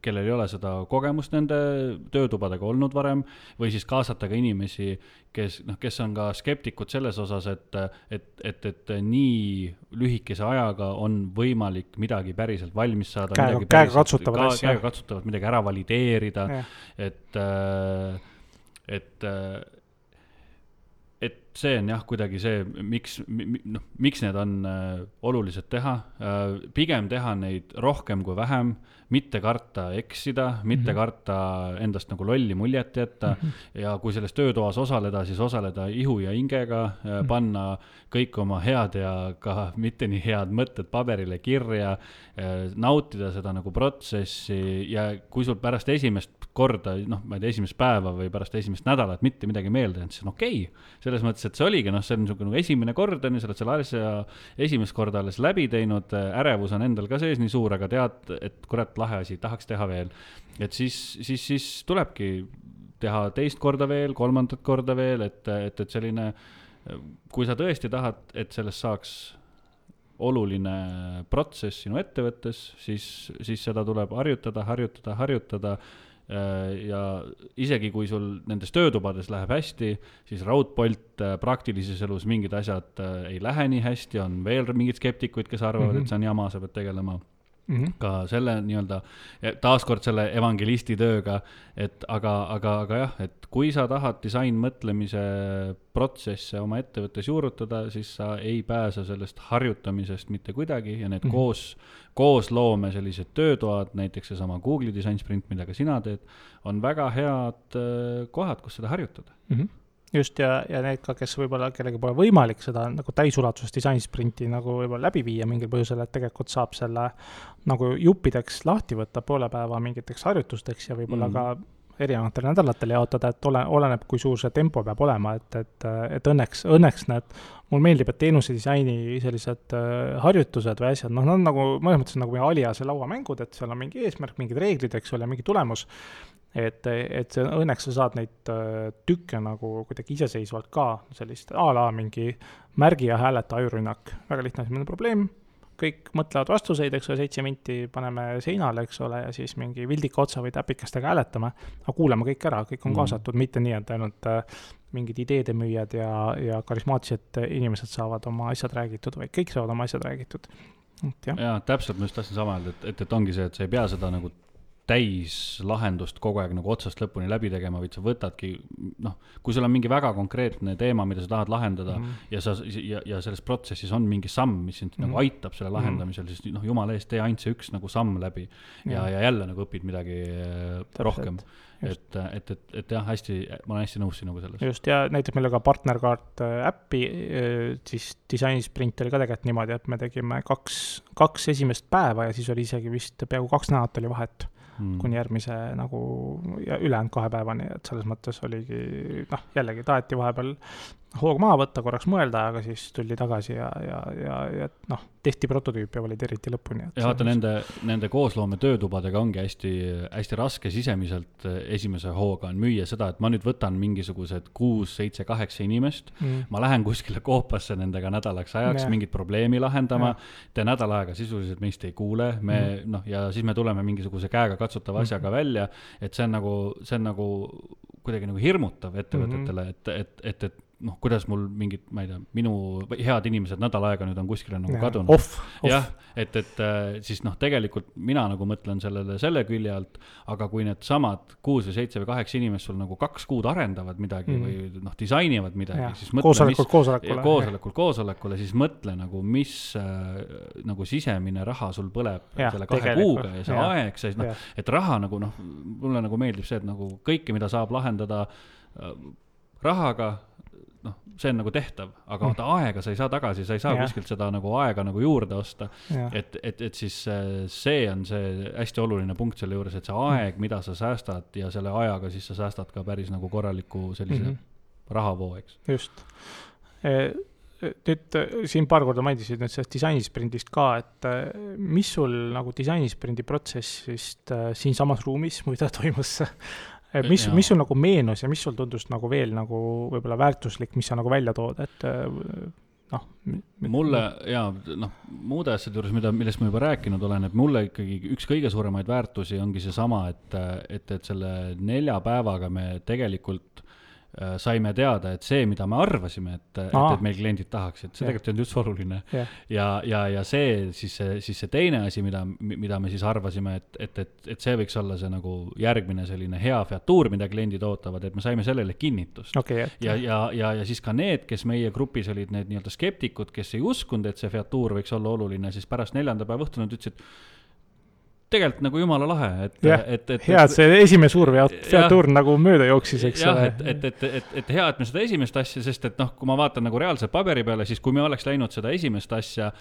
kellel ei ole seda kogemust nende töötubadega olnud varem, või siis kaasata ka inimesi, kes, noh, kes on ka skeptikud selles osas, et, et, et, et nii lühikese ajaga on võimalik midagi päriselt valmis saada, käega, midagi käega katsutavat ka, asja. Käega katsutavat, midagi ära valideerida, ja. et, et, et see on jah, kuidagi see, miks, noh, miks need on olulised teha, pigem teha neid rohkem kui vähem, mitte karta eksida, mitte mm-hmm. karta endast nagu lolli muljet jätta mm-hmm. ja kui selles töötoas osaleda, siis osaleda ihu ja hingega, mm-hmm. panna kõik oma head ja ka mitte nii head mõtted paberile kirja, nautida seda nagu protsessi ja kui sul pärast esimest korda, noh, ma ei tea, esimest päeva või pärast esimest nädalat mitte midagi meelde jäänud, siis on okei. Selles mõttes, et see oligi, noh, see on niisugune esimene kord, on ju, sa oled selle asja esimest korda alles läbi teinud, ärevus on endal ka sees nii suur, aga tead, et kurat, lahe asi, tahaks teha veel. Et siis, siis, siis tulebki teha teist korda veel, kolmandat korda veel, et, et, et selline, kui sa tõesti tahad, et sellest saaks oluline protsess sinu ettevõttes, siis, siis seda tuleb harjutada, harjutada, harjutada ja isegi kui sul nendes töötubades läheb hästi, siis raudpolt praktilises elus mingid asjad ei lähe nii hästi, on veel mingid skeptikuid, kes arvavad, mm-hmm. et see on jama, sa pead tegelema mm-hmm. ka selle nii-öelda, taaskord selle evangelisti tööga, et aga, aga, aga jah, et kui sa tahad disainmõtlemise protsesse oma ettevõttes juurutada, siis sa ei pääse sellest harjutamisest mitte kuidagi ja need mm-hmm. koos, koos loome sellised töötoad, näiteks see sama Google'i Design Sprint, mida ka sina teed, on väga head kohad, kus seda harjutada. Mm-hmm. Just, ja, ja need ka, kes võib-olla kellegi pole võimalik seda nagu täisulatuses Design Sprinti nagu võib-olla läbi viia mingil põhjusel, et tegelikult saab selle nagu juppideks lahti võtta poole päeva mingiteks harjutusteks ja võib-olla mm-hmm. ka erinevatel nädalatel jaotada, et ole, oleneb, kui suur see tempo peab olema, et, et, et õnneks, õnneks need, mul meeldib, et teenuse disaini sellised uh, harjutused või asjad, noh, nad on nagu, mõnes mõttes nagu meie aliase lauamängud, et seal on mingi eesmärk, mingid reeglid, eks ole, mingi tulemus, et, et see, õnneks sa saad neid uh, tükke nagu kuidagi iseseisvalt ka, sellist a la mingi märgi ja hääleta ajurünnak, väga lihtne esimene probleem, kõik mõtlevad vastuseid, eks ole, seitse minti paneme seinale, eks ole, ja siis mingi vildika otsa või täpikestega hääletame, aga kuulame kõik ära, kõik on kaasatud, mm. mitte nii, et ainult äh, mingid ideede müüjad ja, ja karismaatilised inimesed saavad oma asjad räägitud, vaid kõik saavad oma asjad räägitud. Ja täpselt, ma just tahtsin sama öelda, et, et, et ongi see, et sa ei pea seda nagu täis lahendust kogu aeg nagu otsast lõpuni läbi tegema, vaid sa võtadki, noh, kui sul on mingi väga konkreetne teema, mida sa tahad lahendada mm. ja, sa, ja, ja selles protsessis on mingi samm, mis sind mm. nagu aitab selle lahendamisel, siis noh, jumala eest, tee ainult see üks nagu samm läbi ja, ja, ja jälle nagu õpid midagi Täpselt. rohkem. Et, et, et, et jah, hästi, ma olen hästi nõus sinuga selles. Just, ja näiteks meil ka partnerkaart äppi, siis disainisprint oli ka tegelikult niimoodi, et me tegime kaks, kaks esimest päeva ja siis oli isegi vist peaaegu kaks nädalat oli vahet hmm. kuni järgmise nagu ja ülejäänud kahe päevani, et selles mõttes oligi, noh, jällegi taheti vahepeal hoog maha võtta, korraks mõelda, aga siis tuldi tagasi ja, ja, ja, ja noh, tehti prototüüp ja olid eriti lõpuni. Ja vaata, nende, nende koosloome töötubadega ongi hästi, hästi raske sisemiselt esimese hooga on müüa seda, et ma nüüd võtan mingisugused kuus, seitse, kaheksa inimest, mm. ma lähen kuskile koopasse nendega nädalaks ajaks ja. mingit probleemi lahendama, te nädal aega sisuliselt meist ei kuule, me, mm. noh, ja siis me tuleme mingisuguse käega katsutava asjaga mm. välja, et see on nagu, see on nagu kuidagi nagu hirmutav ettevõtetele, mm. et, et, et, et noh, kuidas mul mingid, ma ei tea, minu head inimesed nädal aega nüüd on kuskile nagu kadunud. Off, off. Jah, et, et siis noh, tegelikult mina nagu mõtlen sellele selle külje alt, aga kui need samad kuus või seitse või kaheksa inimest sul nagu kaks kuud arendavad midagi mm. või noh, disainivad midagi, ja. siis mõtle, koosolekul, mis, koosolekule, koosolekul, koosolekule, siis mõtle nagu, mis äh, nagu sisemine raha sul põleb ja, selle kahe kuuga ja see ja. aeg, see, noh, et raha nagu noh, mulle nagu meeldib see, et nagu kõike, mida saab lahendada äh, rahaga, noh, see on nagu tehtav, aga mm. aega sa ei saa tagasi, sa ei saa ja. kuskilt seda nagu aega nagu juurde osta, et, et, et siis see on see hästi oluline punkt selle juures, et see aeg, mm. mida sa säästad ja selle ajaga siis sa säästad ka päris nagu korraliku sellise mm-hmm. rahavoo, eks. Just. Nüüd siin paar korda mainisid nüüd sellest disainisprindist ka, et mis sul nagu disainisprindi protsessist siin samas ruumis, mida toimus Mis, mis sul nagu meenus ja mis sul tundus nagu veel nagu võib-olla väärtuslik, mis sa nagu välja tood, et noh. Mulle, jaa, noh, muude asjade juures, mida, millest ma juba rääkinud olen, et mulle ikkagi üks kõige suuremaid väärtusi ongi see sama, et, et, et selle nelja päevaga me tegelikult saime teada, et see, mida me arvasime, et, et, et meil kliendid tahaks, et see ja. tegelikult on just oluline. Ja, ja, ja, ja see, siis see, siis see teine asi, mida, mida me siis arvasime, et, et, et, et see võiks olla see nagu järgmine selline hea featuur, mida kliendid ootavad, et me saime sellele kinnitust. Okay, et... ja, ja, ja, ja siis ka need, kes meie grupis olid need nii-öelda skeptikud, kes ei uskunud, et see featuur võiks olla oluline, siis pärast neljanda päeva õhtul nad ütlesid, tegelikult nagu jumala lahe, et, ja, et, et hea, et see esimene suur featuur nagu mööda jooksis, eks jah, et, et, et, et, et hea, et me seda esimest asja, sest et noh, kui ma vaatan nagu reaalselt paberi peale, siis kui me oleks läinud seda esimest asja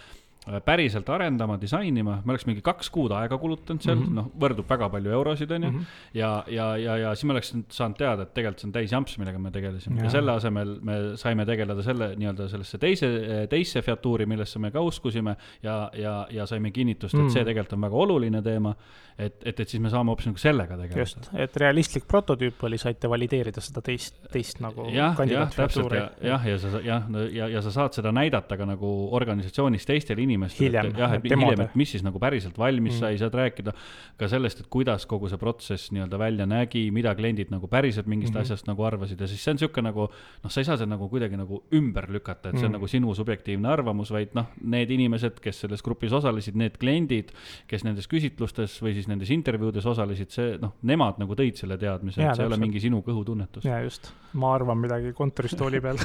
päriselt arendama, disainima, me oleks mingi kaks kuud aega kulutanud seal, mm -hmm. noh, võrdub väga palju eurosid, on ju, mm -hmm. ja, ja, ja, ja siis me oleks saanud teada, et tegelikult see on täis jamps, millega me tegelesime. Ja. ja selle asemel me saime tegeleda selle nii-öelda sellesse teise, teisse featuuri, millesse me ka uskusime ja, ja, ja saime kinnitust, et mm -hmm. see tegelikult on väga oluline teema, et, et, et siis me saame hoopis nagu sellega tegeleda. Just, et realistlik prototüüp oli, saite valideerida seda teist, teist nagu ja, kandidaatfeatuuri. Jah, jah, ja sa, jah, ja, ja sa saad seda näidata ka nagu organisatsioonis teistele inimestele, hiljem, et, jah, et hiljem, et mis siis nagu päriselt valmis mm. sai, saad rääkida ka sellest, et kuidas kogu see protsess nii-öelda välja nägi, mida kliendid nagu päriselt mingist mm-hmm. asjast nagu arvasid ja siis see on siuke nagu, noh, sa ei saa seda nagu kuidagi nagu ümber lükata, et see on mm. nagu sinu subjektiivne arvamus, vaid noh, need inimesed, kes selles grupis osalesid, need kliendid, kes nendes küsitlustes või siis nendes intervjuudes osalesid, see, noh, nemad nagu tõid selle teadmise, ja, et see ei ole mingi sinu kõhutunnetus. Ja just, ma arvan midagi kontoristooli peal.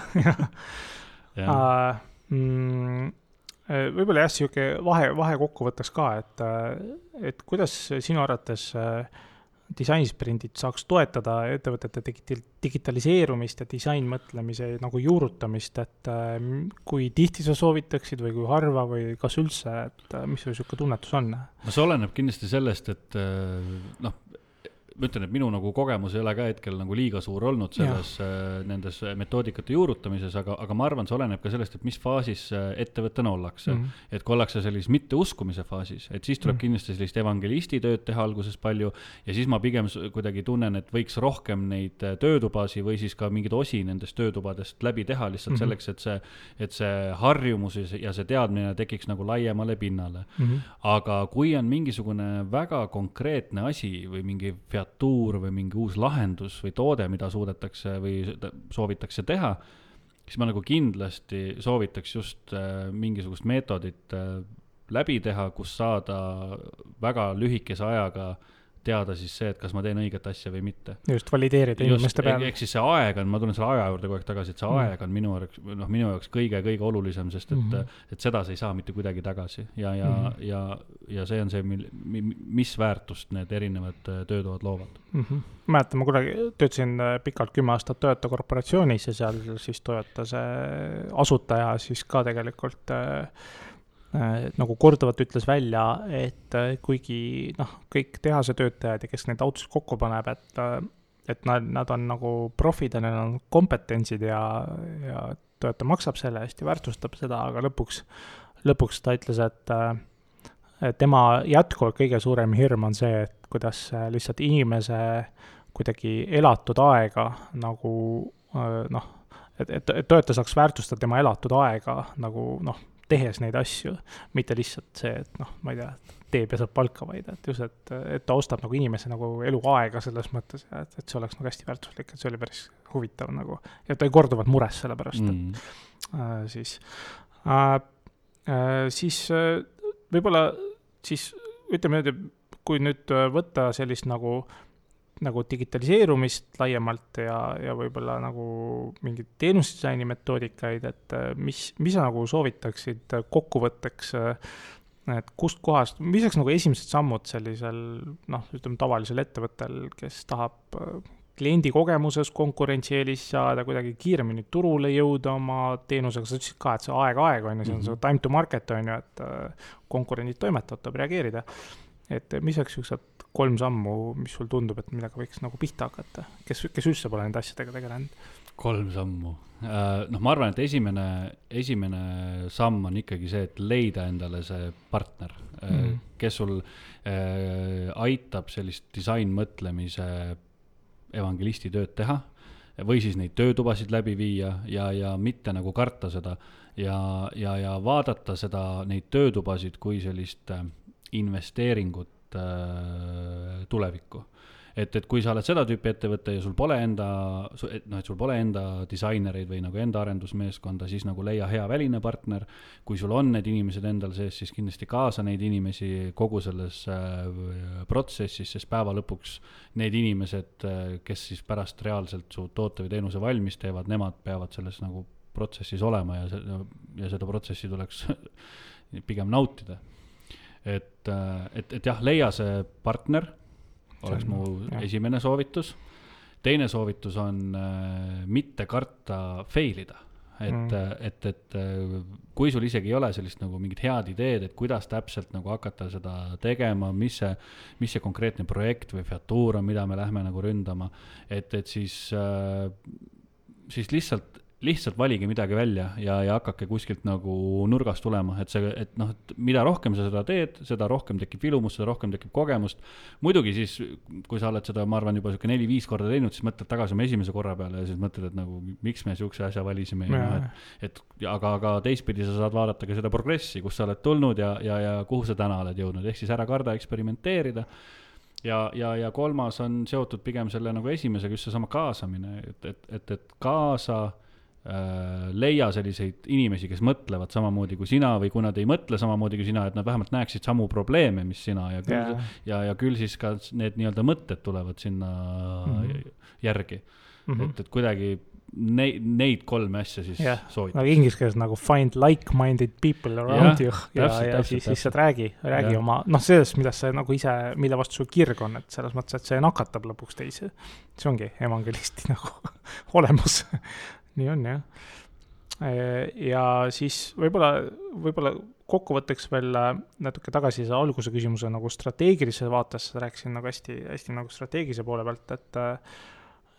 ja. mm, võib-olla jah, siuke vahe, vahe kokku võtaks ka, et, et kuidas sinu arvates disainisprindid saaks toetada ettevõtete digitaliseerumist ja disainmõtlemise nagu juurutamist, et kui tihti sa soovitaksid või kui harva või kas üldse, et mis sul siuke tunnetus on? No see oleneb kindlasti sellest, et noh, ma ütlen, et minu nagu kogemus ei ole ka hetkel nagu liiga suur olnud selles äh, nendes metoodikate juurutamises, aga, aga ma arvan, see oleneb ka sellest, et mis faasis ettevõttena ollakse. Mm -hmm. Et kui ollakse sellises mitte uskumise faasis, et siis tuleb mm -hmm. kindlasti sellist evangelisti tööd teha alguses palju ja siis ma pigem kuidagi tunnen, et võiks rohkem neid töötubasi või siis ka mingid osi nendest töötubadest läbi teha lihtsalt mm -hmm. selleks, et see, et see harjumus ja see teadmine tekiks nagu laiemale pinnale. Mm -hmm. Aga kui on mingisugune väga konkreetne asi või mingi featuur või mingi uus lahendus või toode, mida suudetakse või soovitakse teha, siis ma nagu kindlasti soovitaks just mingisugust meetodit läbi teha, kus saada väga lühikese ajaga teada siis see, et kas ma teen õiget asja või mitte. Just valideerida inimeste peale. Ehk siis see aeg on, ma tulen selle aja juurde kogu aeg tagasi, et see mm. aeg on minu, noh, minu jaoks kõige, kõige olulisem, sest et, mm-hmm. et seda sa ei saa mitte kuidagi tagasi. Ja, ja, mm-hmm. ja, ja see on see, mil, mis väärtust need erinevad töötoad loovad. Mm-hmm. Mäletan, ma kunagi töötasin pikalt kümme aastat Toyota korporatsioonis ja seal siis Toyota see asutaja siis ka tegelikult nagu korduvalt ütles välja, et kuigi noh, kõik tehase töötajad ja kes neid autosid kokku paneb, et, et nad, nad on nagu profid ja neil on kompetentsid ja, ja Toyota maksab selle eest ja väärtustab seda, aga lõpuks, lõpuks ta ütles, et, et tema jätkuvalt kõige suurem hirm on see, et kuidas lihtsalt inimese kuidagi elatud aega nagu noh, et, et, et Toyota saaks väärtustada tema elatud aega nagu noh, tehes neid asju, mitte lihtsalt see, et noh, ma ei tea, teeb ja saab palka vaid, et just, et, et ta ostab nagu inimese nagu eluaega selles mõttes, et, et see oleks nagu hästi väärtuslik, et see oli päris huvitav nagu, ja ta ei korduvalt mures selle pärast, mm. et äh, siis äh, äh, siis äh, võib-olla siis ütleme nüüd, kui nüüd võtta sellist nagu nagu digitaliseerumist laiemalt ja, ja võib-olla nagu mingid teenusdisaini metoodikaid, et mis, mis sa nagu soovitaksid kokkuvõtteks, et kust kohast, mis oleks nagu esimesed sammud sellisel, noh, ütleme tavalisel ettevõttel, kes tahab kliendi kogemuses konkurentsieelis saada, kuidagi kiiremini turule jõuda oma teenusega, sa ütlesid ka, et see aeg-aeg on ja see on see time to market on ju, et konkurendid toimetavad, tuleb reageerida. Et mis oleks üks kolm sammu, mis sul tundub, et millega võiks nagu pihta hakata? Kes, kes üldse pole nende asjadega tegelenud? Kolm sammu. Noh, ma arvan, et esimene, esimene samm on ikkagi see, et leida endale see partner, mm. kes sul äh, aitab sellist disainmõtlemise evangelisti tööd teha või siis neid töötubasid läbi viia ja, ja mitte nagu karta seda ja, ja, ja vaadata seda, neid töötubasid kui sellist investeeringut äh, tulevikku. Et, et kui sa oled seda tüüpi ettevõtte ja sul pole enda, no, et sul pole enda disainereid või nagu enda arendusmeeskonda, siis nagu leia hea väline partner. Kui sul on need inimesed endal sees, siis kindlasti kaasa neid inimesi kogu selles äh, protsessis, sest päeva lõpuks need inimesed, kes siis pärast reaalselt su toote või teenuse valmis teevad, nemad peavad selles nagu protsessis olema ja, se- ja seda protsessi tuleks pigem nautida. Et, et, et jah, leia see partner, oleks mu jah. Esimene soovitus. Teine soovitus on äh, mitte karta failida. Et, mm. et, et kui sul isegi ei ole sellist nagu mingid head ideed, et kuidas täpselt nagu hakata seda tegema, mis see, mis see konkreetne projekt või featuur on, mida me lähme nagu ründama, et, et siis, äh, siis lihtsalt lihtsalt valige midagi välja ja, ja hakake kuskilt nagu nurgast tulema, et see, et noh, et mida rohkem sa seda teed, seda rohkem tekib vilumus, seda rohkem tekib kogemust. Muidugi siis, kui sa oled seda, ma arvan, juba selline neli-viis korda teinud, siis mõtled tagasi oma esimese korra peale ja siis mõtled, et nagu, miks me siukse asja valisime. Ja, no, et, et, aga, aga teistpidi sa saad vaadata ka seda progressi, kus sa oled tulnud ja, ja, ja kuhu sa täna oled jõudnud. Ehk siis ära karda eksperimenteerida. Ja, ja, ja kolmas on seotud pigem selle nagu esimesega, just see sama kaasamine, et, et, et, et kaasa leia selliseid inimesi, kes mõtlevad samamoodi kui sina või kui nad ei mõtle samamoodi kui sina, et nad vähemalt näeksid samu probleeme, mis sina ja küll, yeah. ja, ja küll siis ka need nii-öelda mõtted tulevad sinna mm-hmm. järgi. Mm-hmm. Et, et kuidagi neid, neid kolme asja siis yeah. soovitab. Nagu inglise keeles nagu find like-minded people around yeah, you ja, täpselt, ja täpselt, siis lihtsalt räägi, räägi yeah. oma, noh sellest, mida see nagu ise, mille vastu sul kirg on, et selles mõttes, et see nakatab lõpuks teisi. See ongi evangelisti nagu olemus. Nii on, jah. Ja siis võib-olla, võib-olla kokkuvõtteks veel natuke tagasi see alguse küsimuse nagu strateegilise vaates, rääkisin nagu hästi, hästi nagu strateegilise poole pealt, et,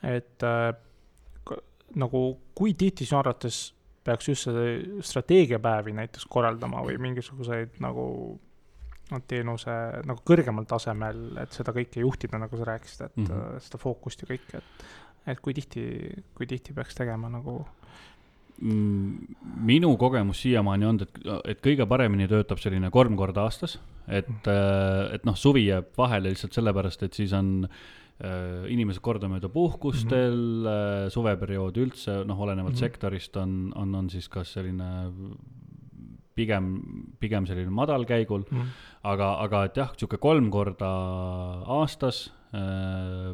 et nagu kui tihti sinu arvates peaks just see strateegiapäevi näiteks korraldama või mingisuguseid nagu teenuse nagu kõrgemal tasemel, et seda kõike juhtida, nagu sa rääkisid, et mm-hmm. seda fookust ja kõike, et et kui tihti, kui tihti peaks tegema nagu? Minu kogemus siiamaani on, et, et kõige paremini töötab selline kolm korda aastas, et, et noh, suvi jääb vahele lihtsalt sellepärast, et siis on äh, inimesed kordamööda puhkustel, mm-hmm. suveperiood üldse, noh, olenevalt mm-hmm. sektorist on, on, on siis kas selline pigem, pigem selline madal käigul mm., aga, aga et jah, siuke kolm korda aastas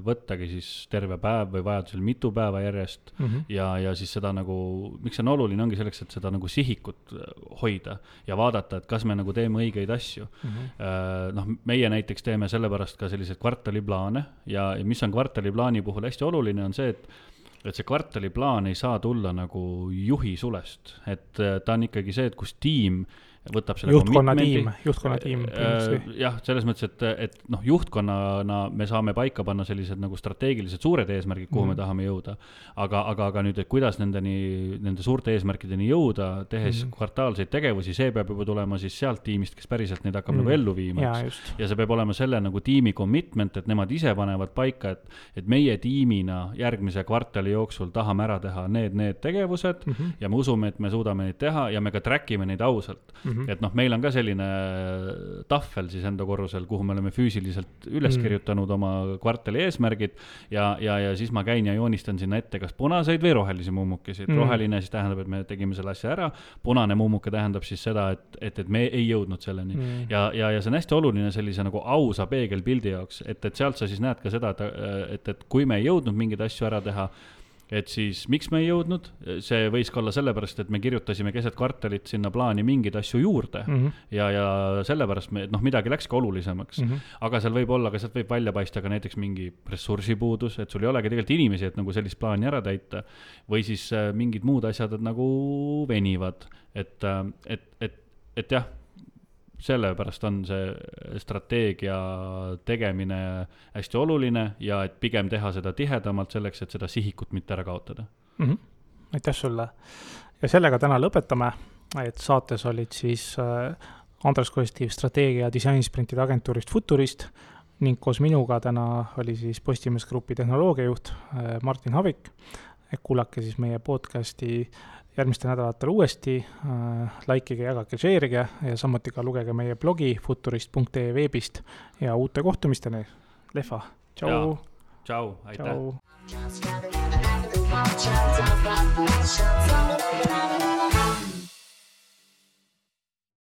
võttagi siis terve päev või vajadusel mitu päeva järjest mm -hmm. ja, ja siis seda nagu, miks see on oluline, ongi selleks, et seda nagu sihikut hoida ja vaadata, et kas me nagu teeme õigeid asju mm. -hmm. Noh, meie näiteks teeme sellepärast ka selliseid kvartaliplaane ja, ja mis on kvartaliplaani puhul hästi oluline, on see, et et see kvartaliplaan ei saa tulla nagu juhi sulest, et ta on ikkagi see, et kus tiim võtab selle juhtkonna tiim, juhtkonna tiim. Jah, selles mõttes, et, et noh, juhtkonnana me saame paika panna sellised nagu strateegilised suured eesmärgid, kuhu mm. me tahame jõuda. Aga, aga, aga nüüd, et kuidas nendeni, nende suurte eesmärkideni jõuda, tehes mm. kvartaalseid tegevusi, see peab juba tulema siis sealt tiimist, kes päriselt neid hakkab mm. nagu ellu viima. Ja, ja see peab olema selle nagu tiimi commitment, et nemad ise panevad paika, et, et meie tiimina järgmise kvartali jooksul tahame ära teha need, need tegevused mm -hmm. ja me usume, et me suudame neid teha ja me ka trackime neid ausalt. Mm -hmm. et noh, meil on ka selline tahvel siis enda korrusel, kuhu me oleme füüsiliselt üles kirjutanud oma kvartali eesmärgid ja, ja, ja siis ma käin ja joonistan sinna ette kas punaseid või rohelisi mummukisid. Mm. Roheline siis tähendab, et me tegime selle asja ära, punane mummuke tähendab siis seda, et, et, et me ei jõudnud selleni. Mm. Ja, ja, ja see on hästi oluline sellise nagu ausa peegelpildi jaoks, et, et sealt sa siis näed ka seda, et, et, et kui me ei jõudnud mingeid asju ära teha, et siis miks me ei jõudnud, see võis ka olla sellepärast, et me kirjutasime keset kvartalit sinna plaani mingeid asju juurde mm -hmm. ja, ja sellepärast me, noh, midagi läks ka olulisemaks mm, -hmm. aga seal võib olla, ka sealt võib välja paista ka näiteks mingi ressursipuudus, et sul ei olegi tegelikult inimesi, et nagu sellist plaani ära täita või siis äh, mingid muud asjad, et nagu venivad, et, äh, et, et, et jah, sellepärast on see strateegia tegemine hästi oluline ja et pigem teha seda tihedamalt selleks, et seda sihikut mitte ära kaotada. Mm -hmm. Aitäh sulle. Ja sellega täna lõpetame, et saates olid siis Andres Kostiv strateegia ja disainisprintide agentuurist Futurist ning koos minuga täna oli siis Postimees Grupi tehnoloogiajuht Martin Havik. Kuulake siis meie podcasti järgmistel nädalatel uuesti, äh, likeige, jagage, share'ige ja samuti ka lugege meie blogi futurist punkt ee veebist ja uute kohtumisteni. Lehva, tšau! Tšau, aitäh! Tšau.